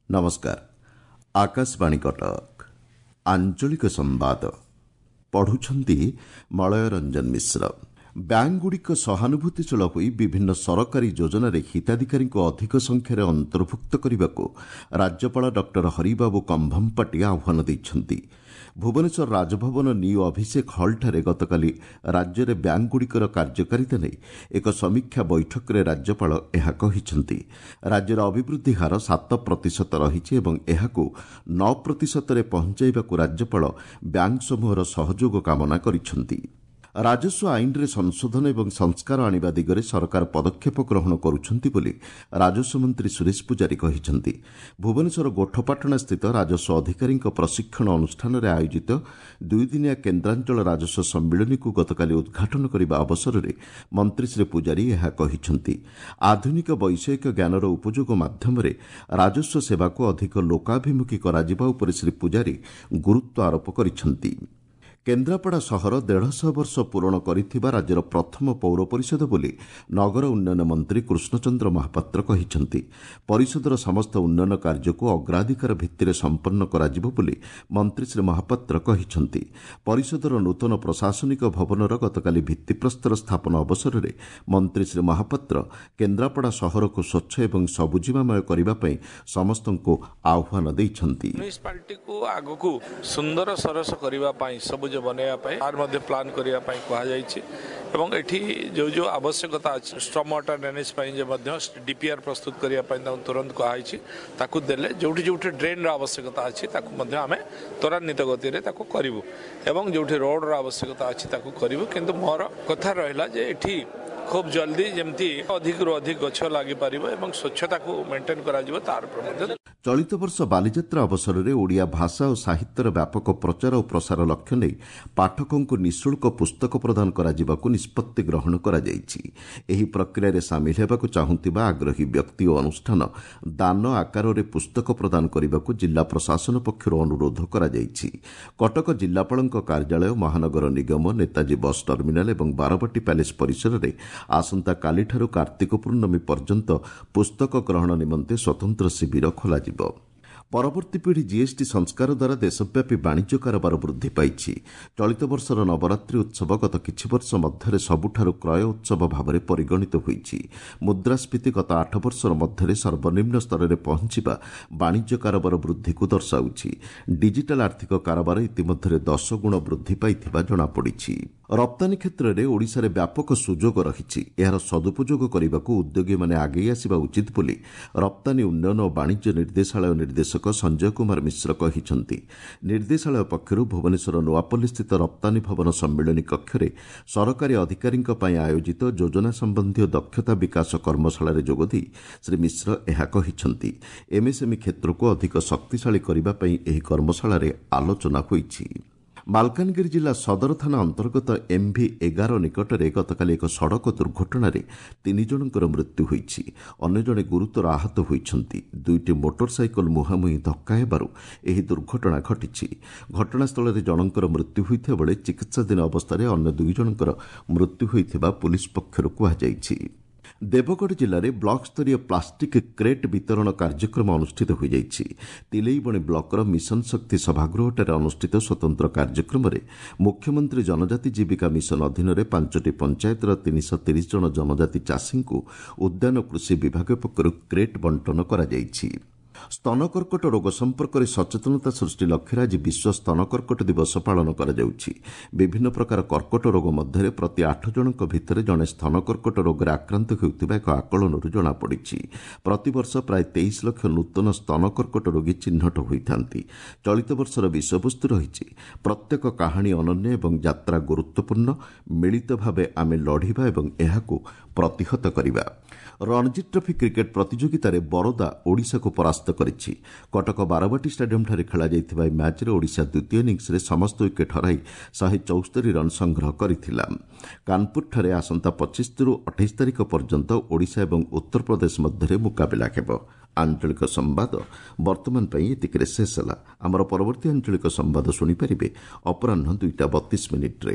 ନମସ୍କାର, ଆକାଶବାଣୀ କଟକ। ଆଞ୍ଚଳିକ ସମ୍ବାଦ ପଢୁଛନ୍ତି ମଳୟ ରଞ୍ଜନ ମିଶ୍ର। ବ୍ୟାଙ୍କଗୁଡ଼ିକ ସହାନୁଭୂତିଶୀଳ ହୋଇ ବିଭିନ୍ନ ସରକାରୀ ଯୋଜନାରେ ହିତାଧିକାରୀଙ୍କୁ ଅଧିକ ସଂଖ୍ୟାରେ ଅନ୍ତର୍ଭୁକ୍ତ କରିବାକୁ ରାଜ୍ୟପାଳ ଡକ୍ଟର ହରିବାବୁ କମ୍ଭମପାଟି ଆହ୍ୱାନ ଦେଇଛନ୍ତି। ଭୁବନେଶ୍ୱର ରାଜଭବନ ନ୍ୟୁ ଅଭିଷେକ ହଲ୍ଠାରେ ଗତକାଲି ରାଜ୍ୟରେ ବ୍ୟାଙ୍କଗୁଡ଼ିକର କାର୍ଯ୍ୟକାରିତା ନେଇ ଏକ ସମୀକ୍ଷା ବୈଠକରେ ରାଜ୍ୟପାଳ ଏହା କହିଛନ୍ତି। ରାଜ୍ୟର ଅଭିବୃଦ୍ଧି ହାର 7% ରହିଛି ଏବଂ ଏହାକୁ 9%ରେ ପହଞ୍ଚାଇବାକୁ ରାଜ୍ୟପାଳ ବ୍ୟାଙ୍କ ସମୂହର ସହଯୋଗ କାମନା କରିଛନ୍ତି। ରାଜସ୍ୱ ଆଇନରେ ସଂଶୋଧନ ଏବଂ ସଂସ୍କାର ଆଣିବା ଦିଗରେ ସରକାର ପଦକ୍ଷେପ ଗ୍ରହଣ କରୁଛନ୍ତି ବୋଲି ରାଜସ୍ୱ ମନ୍ତ୍ରୀ ସୁରେଶ ପୂଜାରୀ କହିଛନ୍ତି। ଭୁବନେଶ୍ୱର ଗୋଠପାଟଣାସ୍ଥିତ ରାଜସ୍ୱ ଅଧିକାରୀଙ୍କ ପ୍ରଶିକ୍ଷଣ ଅନୁଷ୍ଠାନରେ ଆୟୋଜିତ ଦୁଇଦିନିଆ କେନ୍ଦ୍ରାଞ୍ଚଳ ରାଜସ୍ୱ ସମ୍ମିଳନୀକୁ ଗତକାଲି ଉଦ୍ଘାଟନ କରିବା ଅବସରରେ ମନ୍ତ୍ରୀ ଶ୍ରୀ ପୂଜାରୀ ଏହା କହିଛନ୍ତି। ଆଧୁନିକ ବୈଷୟିକ ଜ୍ଞାନର ଉପଯୋଗ ମାଧ୍ୟମରେ ରାଜସ୍ୱ ସେବାକୁ ଅଧିକ ଲୋକାଭିମୁଖୀ କରାଯିବା ଉପରେ ଶ୍ରୀ ପୂଜାରୀ ଗୁରୁତ୍ୱ ଆରୋପ କରିଛନ୍ତି। କେନ୍ଦ୍ରାପଡ଼ା ସହର 150 ବର୍ଷ ପୂରଣ କରିଥିବା ରାଜ୍ୟର ପ୍ରଥମ ପୌର ପରିଷଦ ବୋଲି ନଗର ଉନ୍ନୟନ ମନ୍ତ୍ରୀ କୃଷ୍ଣଚନ୍ଦ୍ର ମହାପାତ୍ର କହିଛନ୍ତି। ପରିଷଦର ସମସ୍ତ ଉନ୍ନୟନ କାର୍ଯ୍ୟକୁ ଅଗ୍ରାଧିକାର ଭିତ୍ତିରେ ସମ୍ପନ୍ନ କରାଯିବ ବୋଲି ମନ୍ତ୍ରୀ ଶ୍ରୀ ମହାପାତ୍ର କହିଛନ୍ତି। ପରିଷଦର ନୂତନ ପ୍ରଶାସନିକ ଭବନର ଗତକାଲି ଭିତ୍ତିପ୍ରସ୍ତର ସ୍ଥାପନ ଅବସରରେ ମନ୍ତ୍ରୀ ଶ୍ରୀ ମହାପାତ୍ର କେନ୍ଦ୍ରାପଡ଼ା ସହରକୁ ସ୍ୱଚ୍ଛ ଏବଂ ସବୁଜିମାମୟ କରିବା ପାଇଁ ସମସ୍ତଙ୍କୁ ଆହ୍ୱାନ ଦେଇଛନ୍ତି। ମ୍ୟୁନିସିପାଲିଟିକୁ ଆଗକୁ ସୁନ୍ଦର ସରସ କରିବା ପାଇଁ, ସବୁଜ ବନେଇବା ପାଇଁ ତାର ମଧ୍ୟ ପ୍ଲାନ୍ କରିବା ପାଇଁ କୁହାଯାଇଛି ଏବଂ ଏଠି ଯେଉଁ ଯେଉଁ ଆବଶ୍ୟକତା ଅଛି ଷ୍ଟ୍ରମ୍ ୱାଟର ଡ୍ରେନେଜ୍ ପାଇଁ ଯେ ମଧ୍ୟ ଡିପିଆର୍ ପ୍ରସ୍ତୁତ କରିବା ପାଇଁ ତାଙ୍କୁ ତୁରନ୍ତ କୁହାଯାଇଛି। ତାକୁ ଦେଲେ ଯେଉଁଠି ଯେଉଁଠି ଡ୍ରେନ୍ର ଆବଶ୍ୟକତା ଅଛି ତାକୁ ମଧ୍ୟ ଆମେ ତ୍ୱରାନ୍ୱିତ ଗତିରେ ତାକୁ କରିବୁ ଏବଂ ଯେଉଁଠି ରୋଡ଼ର ଆବଶ୍ୟକତା ଅଛି ତାକୁ କରିବୁ। କିନ୍ତୁ ମୋର କଥା ରହିଲା ଯେ ଏଠି ଖୁବ୍ ଜଲ୍ଦି ଯେମିତି ଅଧିକରୁ ଅଧିକ ଗଛ ଲାଗିପାରିବ ଏବଂ ସ୍ୱଚ୍ଛତାକୁ ମେଣ୍ଟେନ୍ କରାଯିବ ତାର ଉପରେ ମଧ୍ୟ। ଚଳିତ ବର୍ଷ ବାଲିଯାତ୍ରା ଅବସରରେ ଓଡ଼ିଆ ଭାଷା ଓ ସାହିତ୍ୟର ବ୍ୟାପକ ପ୍ରଚାର ଓ ପ୍ରସାର ଲକ୍ଷ୍ୟ ନେଇ ପାଠକଙ୍କୁ ନିଃଶୁଳ୍କ ପୁସ୍ତକ ପ୍ରଦାନ କରାଯିବାକୁ ନିଷ୍ପତ୍ତି ଗ୍ରହଣ କରାଯାଇଛି। ଏହି ପ୍ରକ୍ରିୟାରେ ସାମିଲ ହେବାକୁ ଚାହୁଁଥିବା ଆଗ୍ରହୀ ବ୍ୟକ୍ତି ଓ ଅନୁଷ୍ଠାନ ଦାନ ଆକାରରେ ପୁସ୍ତକ ପ୍ରଦାନ କରିବାକୁ ଜିଲ୍ଲା ପ୍ରଶାସନ ପକ୍ଷରୁ ଅନୁରୋଧ କରାଯାଇଛି। କଟକ ଜିଲ୍ଲାପାଳଙ୍କ କାର୍ଯ୍ୟାଳୟ, ମହାନଗର ନିଗମ, ନେତାଜୀ ବସ୍ ଟର୍ମିନାଲ ଏବଂ ବାରବାଟୀ ପ୍ୟାଲେସ୍ ପରିସରରେ ଆସନ୍ତାକାଲିଠାରୁ କାର୍ତ୍ତିକ ପୂର୍ଣ୍ଣମୀ ପର୍ଯ୍ୟନ୍ତ ପୁସ୍ତକ ଗ୍ରହଣ ନିମନ୍ତେ ସ୍ୱତନ୍ତ୍ର ଶିବିର ଖୋଲାଯିବ। ପରବର୍ତ୍ତୀ ପିଢ଼ି ଜିଏସ୍ଟି ସଂସ୍କାର ଦ୍ୱାରା ଦେଶବ୍ୟାପୀ ବାଣିଜ୍ୟ କାରବାର ବୃଦ୍ଧି ପାଇଛି। ଚଳିତ ବର୍ଷର ନବରାତ୍ରି ଉତ୍ସବ ଗତ କିଛି ବର୍ଷ ମଧ୍ୟରେ ସବୁଠାରୁ କ୍ରୟ ଉତ୍ସବ ଭାବରେ ପରିଗଣିତ ହୋଇଛି। ମୁଦ୍ରାସ୍ଫୀତି ଗତ 8 ବର୍ଷର ମଧ୍ୟରେ ସର୍ବନିମ୍ନ ସ୍ତରରେ ପହଞ୍ଚିବା ବାଣିଜ୍ୟ କାରବାର ବୃଦ୍ଧିକୁ ଦର୍ଶାଉଛି। ଡିଜିଟାଲ ଆର୍ଥିକ କାରବାର ଇତିମଧ୍ୟରେ 10 ଗୁଣ ବୃଦ୍ଧି ପାଇଥିବା ଜଣାପଡ଼ିଛି। ରପ୍ତାନୀ କ୍ଷେତ୍ରରେ ଓଡ଼ିଶାରେ ବ୍ୟାପକ ସୁଯୋଗ ରହିଛି। ଏହାର ସଦୁପଯୋଗ କରିବାକୁ ଉଦ୍ୟୋଗୀମାନେ ଆଗେଇ ଆସିବା ଉଚିତ ବୋଲି ରପ୍ତାନୀ ଉନ୍ନୟନ ଓ ବାଣିଜ୍ୟ ନିର୍ଦ୍ଦେଶାଳୟ ନିର୍ଦ୍ଦେଶକ ସଞ୍ଜୟ କୁମାର ମିଶ୍ର କହିଛନ୍ତି। ନିର୍ଦ୍ଦେଶାଳୟ ପକ୍ଷରୁ ଭୁବନେଶ୍ୱର ନୂଆପଲ୍ଲୀସ୍ଥିତ ରପ୍ତାନୀ ଭବନ ସମ୍ମିଳନୀ କକ୍ଷରେ ସରକାରୀ ଅଧିକାରୀଙ୍କ ପାଇଁ ଆୟୋଜିତ ଯୋଜନା ସମ୍ବନ୍ଧୀୟ ଦକ୍ଷତା ବିକାଶ କର୍ମଶାଳାରେ ଯୋଗଦେଇ ଶ୍ରୀ ମିଶ୍ର ଏହା କହିଛନ୍ତି। ଏମ୍ଏସ୍ଏମ୍ଇ କ୍ଷେତ୍ରକୁ ଅଧିକ ଶକ୍ତିଶାଳୀ କରିବା ପାଇଁ ଏହି କର୍ମଶାଳାରେ ଆଲୋଚନା ହୋଇଛି। ମାଲକାନଗିରି ଜିଲ୍ଲା ସଦର ଥାନା ଅନ୍ତର୍ଗତ ଏମ୍ଭି 11 ନିକଟରେ ଗତକାଲି ଏକ ସଡ଼କ ଦୁର୍ଘଟଣାରେ 3 ଜଣଙ୍କର ମୃତ୍ୟୁ ହୋଇଛି। ଅନ୍ୟ ଜଣେ ଗୁରୁତର ଆହତ ହୋଇଛନ୍ତି। ଦୁଇଟି ମୋଟର ସାଇକେଲ ମୁହାଁମୁହିଁ ଧକ୍କା ହେବାରୁ ଏହି ଦୁର୍ଘଟଣା ଘଟିଛି। ଘଟଣାସ୍ଥଳରେ ଜଣଙ୍କର ମୃତ୍ୟୁ ହୋଇଥିବା ବେଳେ ଚିକିତ୍ସାଧୀନ ଅବସ୍ଥାରେ ଅନ୍ୟ 2 ଜଣଙ୍କର ମୃତ୍ୟୁ ହୋଇଥିବା ପୁଲିସ୍ ପକ୍ଷରୁ କୁହାଯାଇଛି। ଦେବଗଡ଼ ଜିଲ୍ଲାରେ ବ୍ଲକସ୍ତରୀୟ ପ୍ଲାଷ୍ଟିକ୍ କ୍ରେଟ୍ ବିତରଣ କାର୍ଯ୍ୟକ୍ରମ ଅନୁଷ୍ଠିତ ହୋଇଯାଇଛି। ତିଲେଇବଣି ବ୍ଲକର ମିଶନ ଶକ୍ତି ସଭାଗୃହଠାରେ ଅନୁଷ୍ଠିତ ସ୍ୱତନ୍ତ୍ର କାର୍ଯ୍ୟକ୍ରମରେ ମୁଖ୍ୟମନ୍ତ୍ରୀ ଜନଜାତି ଜୀବିକା ମିଶନ ଅଧୀନରେ 5ଟି ପଞ୍ଚାୟତର 330 ଜଣ ଜନଜାତି ଚାଷୀଙ୍କୁ ଉଦ୍ୟାନ କୃଷି ବିଭାଗ ପକ୍ଷରୁ କ୍ରେଟ୍ ବଣ୍ଟନ କରାଯାଇଛି। ସ୍ତନ କର୍କଟ ରୋଗ ସମ୍ପର୍କରେ ସଚେତନତା ସୃଷ୍ଟି ଲକ୍ଷ୍ୟରେ ଆଜି ବିଶ୍ୱ ସ୍ତନ କର୍କଟ ଦିବସ ପାଳନ କରାଯାଉଛି। ବିଭିନ୍ନ ପ୍ରକାର କର୍କଟ ରୋଗ ମଧ୍ୟରେ ପ୍ରତି 8 ଜଣଙ୍କ ଭିତରେ ଜଣେ ସ୍ତନ କର୍କଟ ରୋଗରେ ଆକ୍ରାନ୍ତ ହେଉଥିବା ଏକ ଆକଳନରୁ ଜଣାପଡ଼ିଛି। ପ୍ରତିବର୍ଷ ପ୍ରାୟ 23 ଲକ୍ଷ ନୂତନ ସ୍ତନ କର୍କଟ ରୋଗୀ ଚିହ୍ନଟ ହୋଇଥାନ୍ତି। ଚଳିତ ବର୍ଷର ବିଷୟବସ୍ତୁ ରହିଛି ପ୍ରତ୍ୟେକ କାହାଣୀ ଅନନ୍ୟ ଏବଂ ଯାତ୍ରା ଗୁରୁତ୍ୱପୂର୍ଣ୍ଣ, ମିଳିତ ଭାବେ ଆମେ ଲଢ଼ିବା ଏବଂ ଏହାକୁ ପ୍ରତିହତ କରିବା। ରଣଜୀ ଟ୍ରଫି କ୍ରିକେଟ୍ ପ୍ରତିଯୋଗିତାରେ ବରୋଦା ଓଡ଼ିଶାକୁ ପରାସ୍ତ କରିଛି। କଟକ ବାରବାଟୀ ଷ୍ଟାଡିୟମ୍ଠାରେ ଖେଳାଯାଇଥିବା ଏହି ମ୍ୟାଚ୍ରେ ଓଡ଼ିଶା ଦ୍ୱିତୀୟ ଇନିଂସରେ ସମସ୍ତ ୱିକେଟ୍ ହରାଇ 174 ରନ୍ ସଂଗ୍ରହ କରିଥିଲା। କାନପୁରଠାରେ ଆସନ୍ତା 25ରୁ 28 ତାରିଖ ପର୍ଯ୍ୟନ୍ତ ଓଡ଼ିଶା ଏବଂ ଉତ୍ତରପ୍ରଦେଶ ମଧ୍ୟରେ ମୁକାବିଲା ହେବ। ଆଞ୍ଚଳିକ ସମ୍ବାଦ ବର୍ତ୍ତମାନ ପାଇଁ ଏତିକିରେ ଶେଷ ହେଲା। ଆମର ପରବର୍ତ୍ତୀ ଆଞ୍ଚଳିକ ସମ୍ବାଦ ଶୁଣିପାରିବେ ଅପରାହ୍ନ 2ଟା 32 ମିନିଟ୍ରେ।